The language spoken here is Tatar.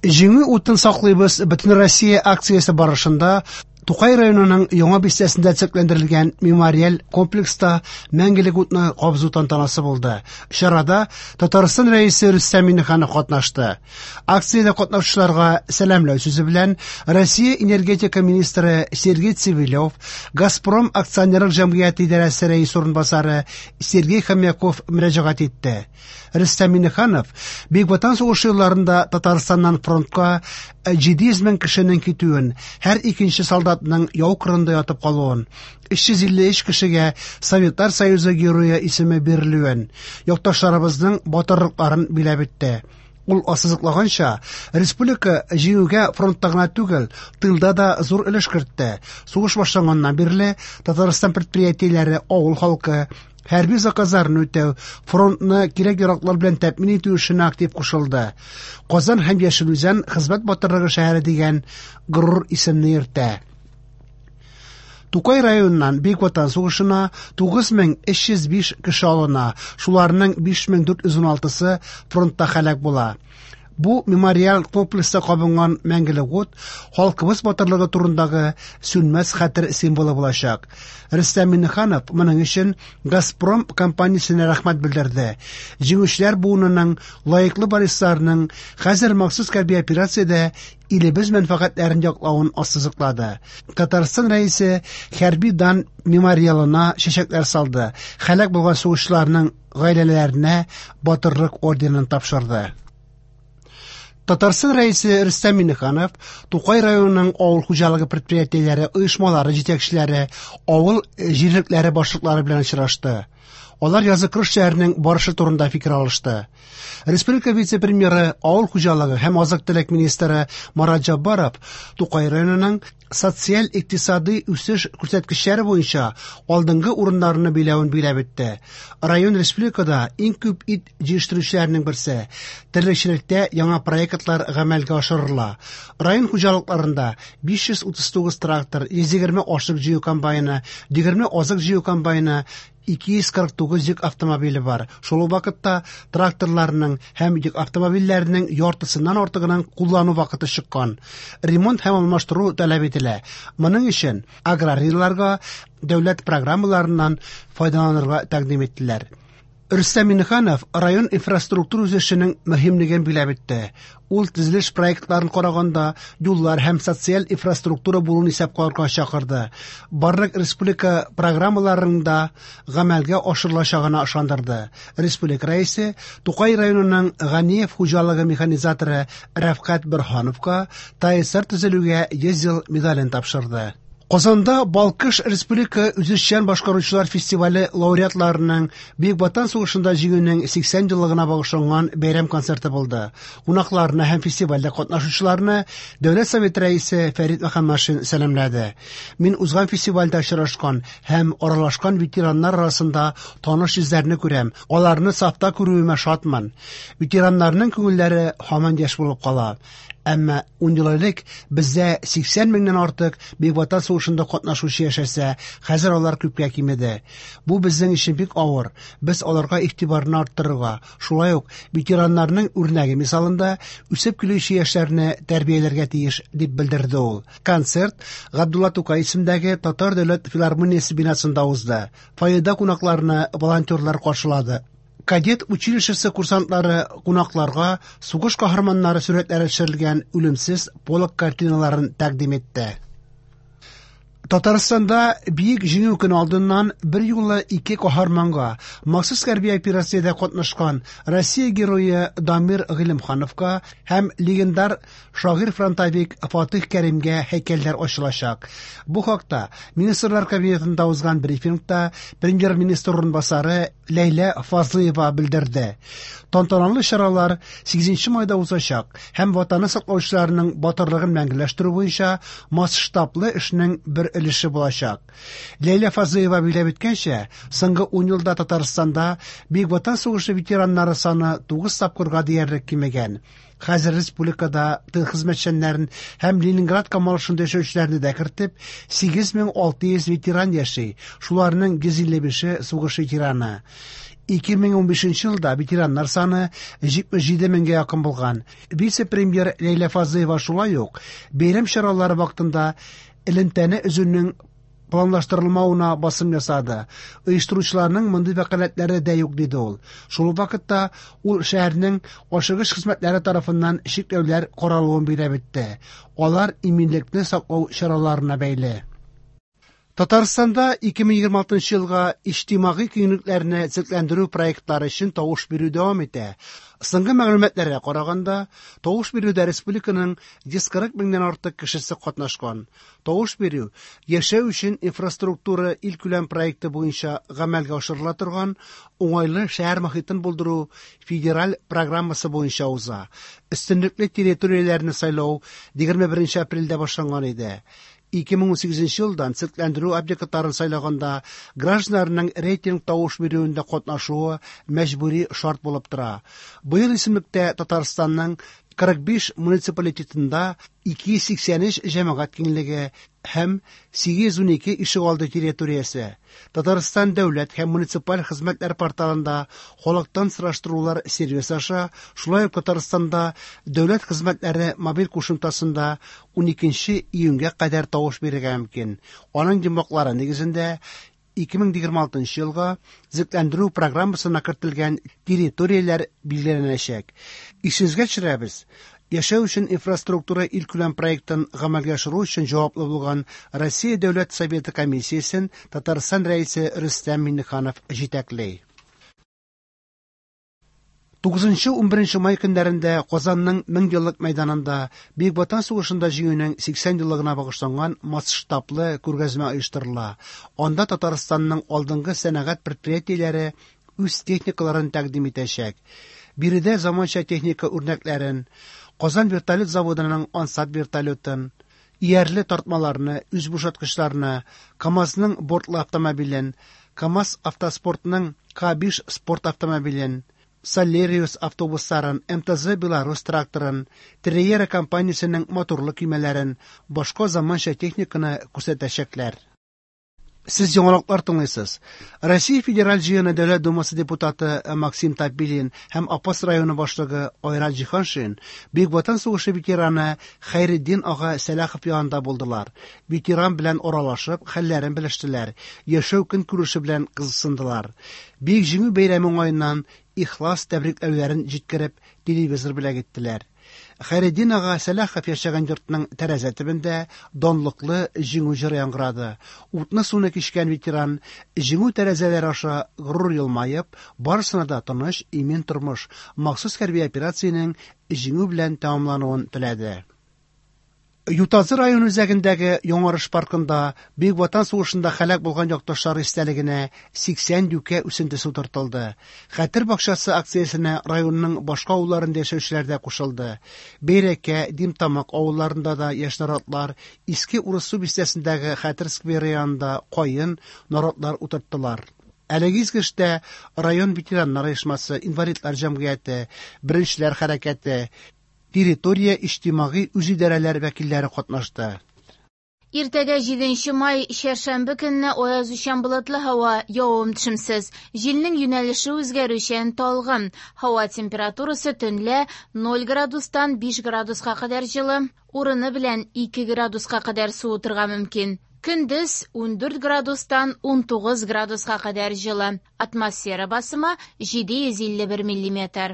Җиңү утын саклыйбыз Бөтенроссия акциясе барышында Тукай районының Яңа бистәсендә төзекләндерелгән мемориаль комплекста мәңгелек утны кабызу тантанасы булды. Чарада Татарстан Рәисе Рөстәм Миңнеханов катнашты. Акциядә катнашучыларга сәламләү сүзе белән Россия энергетика министры Сергей Цивилев, Газпром акционерлык җәмгыяте идарәсе рәисе урынбасары Сергей Хомяков мөрәҗәгать итте. Рөстәм Миңнеханов Бөек Ватан сугышы елларында Татарстаннан фронтка 700 мең кешенең китүен, һәр икенче солдатның яу кырында ятып калуын, 353 кешегә Советлар Союзы Герое исеме бирелүен, якташларыбызның батырлыкларын биләп үтте. Ул ассызыклаганча, республика җиңүгә фронтта гына түгел, тылда да зур өлеш кертте. Сугыш башланганнан бирле Татарстан предприятиеләре авыл халкы, хәрби заказларын үтәү, фронтны кирәк-яраклар белән тәэмин итү эшенә актив кушылды. Казан һәм Яшел Үзән хезмәт батырлыгы шәһәре дигән горур исемне йөртә. Тукай районыннан Бөек Ватан сугышына 9305 кеше алына, шуларның 5416-сы фронтта һәлак була. Бу мемориаль комплекста кабынган мәңгелек ут халкыбыз батырлыгы турындагы сүнмәс хәтер символы булачак. Рөстәм Миңнеханов моның өчен Газпром компаниясенә рәхмәт белдерде. Җиңүчеләр буынының лаеклы варисларының хәзер махсус хәрби операциядә илебез мәнфәгатьләрен яклавын ассызыклады. Татарстан Рәисе хәрби дан мемориалына чәчәкләр салды. Һәлак булган сугышчыларның гаиләләренә батырлык орденын тапшырды. Татарстан Рәисе Рөстәм Миңнеханов Тукай районының авыл хуҗалыгы предприятиеләре, оешмалары җитәкчеләре, авыл җирлекләре башлыклары белән очрашты. Алар Языкрыш шәһәренең барышы турында фикер алышты. Республика вице-премьеры, авыл хуҗалыгы һәм азык-төлек министры Марат Җаббаров Тукай районының социаль-икътисадый үсеш күрсәткечләре буенча алдынгы урыннарны биләвен биләп үтте. Район республикада иң күп ит җитештерүчеләрнең берсе. Терлекчелектә яңа проектлар гамәлгә ашырыла. Район хуҗалыкларында 539 трактор, 120 ашлык җыю комбайны, 20 азык җыю комбайны, 249 йөк автомобиле бар. Шул ук вакытта тракторларның һәм йөк автомобильләренең яртысыннан артыгының куллану вакыты чыккан. Ремонт һәм алмаштыру таләп ителә. Моның өчен аграрийларга дәүләт программаларыннан файдаланырга тәкъдим иттеләр. Рөстәм Миңнеханов район инфраструктура үсешенең мөһимлеген биләп үтте. Ул төзелеш проектларын караганда юллар һәм социаль инфраструктура булуын исәпкә алырга чакырды. Барлык республика программаларында гамәлгә ашырылачагына ышандырды. Республика Рәисе Тукай районының Ганиев хуҗалыгы механизаторы Рәфкать Борһановка ТАССР төзелүгә 100 ел медален тапшырды. Казанда Балкыш республика үзешчән башкаручылар фестивале лауреатларының Бөек Ватан сугышында җиңүнең 80 еллыгына багышланган бәйрәм концерты булды. Кунакларны һәм фестивальдә катнашучыларны Дәүләт Советы рәисе Фәрит Мөхәммәтшин сәламләде. Мин узган фестивальдә очрашкан һәм аралашкан ветераннар арасында таныш йөзләрне күрәм. Аларны сафта күрүемә шатмын. Ветераннарның күңелләре һаман яшь булып кала. Әмма 10 ел элек бездә 80 меңнән артык Бөек Ватан сугышында катнашучы яшәсә, хәзер алар күпкә кимеде. Бу безнең өчен бик авыр. Без аларга игътибарны арттырырга, шулай ук ветераннарның үрнәге мисалында үсеп килүче яшьләрне тәрбияләргә тиеш, дип белдерде ул. Концерт Габдулла Тукай исемендәге Татар дәүләт филармониясе бинасында узды. Фойеда кунакларны волонтерлар каршылады. Кадет училищесы курсантлары кунакларга сугыш каһарманнары сурәтләре төшерелгән үлемсез полк картиналарын тәкъдим итте. Татарстанда Бөек Җиңү көне алдыннан бер юлы ике каһарманга махсус хәрби операциядә катнашкан Россия герое Дамир Гыйлемхановка һәм легендар шагыйрь-фронтовик Фатих Кәримгә һәйкәлләр ачылачак. Бу хакта Министрлар Кабинетында узган брифингта премьер-министр урынбасары Ләйлә Фазлыева белдерде. Тантаналы чаралар 8 майда узачак һәм Ватанны саклаучыларның батырлыгын мәңгеләштерү буенча масштаблы эшнең бер өлеше булачак. Ләйлә Фазлыева билгеләп үткәнчә, соңгы 10 елда Татарстанда Бөек Ватан сугышы ветераннары саны 9 тапкырга диярлек кимегән. Хәзер республикада тыл хезмәтчәннәрен һәм Ленинград камалышында яшәүчеләрне дә кертеп, 8600 ветеран яши, шуларның 155-е сугыш ветераны. 2015 елда ветераннар саны 77 меңгә якын булган. Вице-премьер Ләйлә Фазлыева шулай ук бәйрәм чаралары вакытында элемтәне өзүнең планлаштырылмавына басым ясады. Оештыручыларның мондый вәкаләтләре дә юк, диде ул. Шул ук вакытта ул шәһәрнең ашыгыч хезмәтләре тарафыннан чикләүләр каралуын билгеләп үтте. Алар иминлекне саклау чараларына бәйле. Татарстанда 2026 елга иҗтимагый киңлекләрне төзекләндерү проектлары өчен тавыш бирү дәвам итә. Соңгы мәгълүматларга караганда, тавыш бирүдә республиканың 140 меңнән артык кешесе катнашкан. Тавыш бирү Яшәү өчен инфраструктура илкүләм проекты буенча гамәлгә ашырыла торган Уңайлы шәһәр мохитен булдыру федераль программасы буенча уза. Өстенлекле территорияләрне сайлау 21 апрельдә башланган иде. 2018 елдан төзекләндерү объектларын сайлаганда гражданнарның рейтинг тавыш бирүендә катнашуы мәҗбүри шарт булып тора. Быел исемлектә Татарстанның 45 муниципалитетында 283 җәмәгать киңлеге һәм 812 ишегалды территориясе. Татарстан дәүләт һәм муниципаль хезмәтләр порталында халыктан сораштырулар сервисы аша, шулай ук Татарстанда дәүләт хезмәтләре мобиль кушымтасында 12 июньгә кадәр тавыш бирергә мөмкин. Аның йомгаклары нигезендә 2026 елга төзекләндерү программасына кертелгән территорияләр билгеләнәчәк. Исегезгә төшерәбез, Яшәү өчен инфраструктура илкүләм проектын гамәлгә ашыру өчен җаваплы булган Россия Дәүләт Советы комиссиясен Татарстан Рәисе Рөстәм Миңнеханов җитәкли. 9-11 май көннәрендә Казанның Меңьеллык мәйданында Бөек Ватан сугышында Җиңүнең 80 еллыгына багышланган масштаблы күргәзмә оештырыла. Анда Татарстанның алдынгы сәнәгать предприятиеләре үз техникаларын тәкъдим итәчәк. Биредә заманча техника үрнәкләрен, Казан вертолет заводының Ансат вертолетын, иярле тартмаларны, үзбушаткычларны, КАМАЗның бортлы автомобилен, КАМАЗ автоспортның К5 спорт автомобилен, Солериус автобусларын, МТЗ Беларусь тракторын, Триера компаниясенең моторлы көймәләрен, башка заманча техниканы күрсәтәчәкләр. Сез яңалыклар тыңлыйсыз. Россия Федераль Җыены Дәүләт Думасы депутаты Максим Топилин һәм Апас районы башлыгы Айрат Җиһаншин Бөек Ватан сугышы ветераны Хәйретдин ага Сәлахов янында булдылар. Ветеран белән аралашып, хәлләрен белештеләр, яшәү көнкүреше белән кызыксындылар. Бөек Җиңү бәйрәме уңаеннан ихлас тәбрикләүләрен җиткереп, телевизор бүләк иттеләр. Хәйретдин ага Сәлахов яшәгән йортның тәрәзә төбендә данлыклы Җиңү җыры яңгырады. Утны-суны кичкән ветеран Җиңү тәрәзәләре аша горур елмаеп, барысына да тыныч, имин тормыш, махсус хәрби операциянең җиңү белән тәмамлануын теләде. Ютазы районы үзәгендәге Яңарыш паркында Бөек Ватан сугышында һәлак булган якташлары истәлегенә 80 юкә үсентесе утыртылды. Хәтер бакчасы акциясенә районның башка авылларында яшәүчеләр дә кушылды. Бәйрәкә, Димтамак авылларында да яшь наратлар, Иске Урыссу бистәсендәге Хәтер скверы янында каен, наратлар утырттылар. Әлеге изге эштә район ветераннар оешмасы, инвалидлар җәмгыяте, Беренчеләр хәрәкәте, территория иҗтимагый үзидарәләр вәкилләре катнашты. Иртәгә җиденче май, чәршәмбе көнне аязучан болытлы һава, явым-төшемсез. Җилнең юнәлеше үзгәрүчән, талгын. Һава температурасы төнлә 0 градустан 5 градуска кадәр җылы, урыны белән 2 градуска кадәр суытырга мөмкин. Көндез 14 градустан 19 градуска кадәр җылы. Атмосфера басымы 751 миллиметр.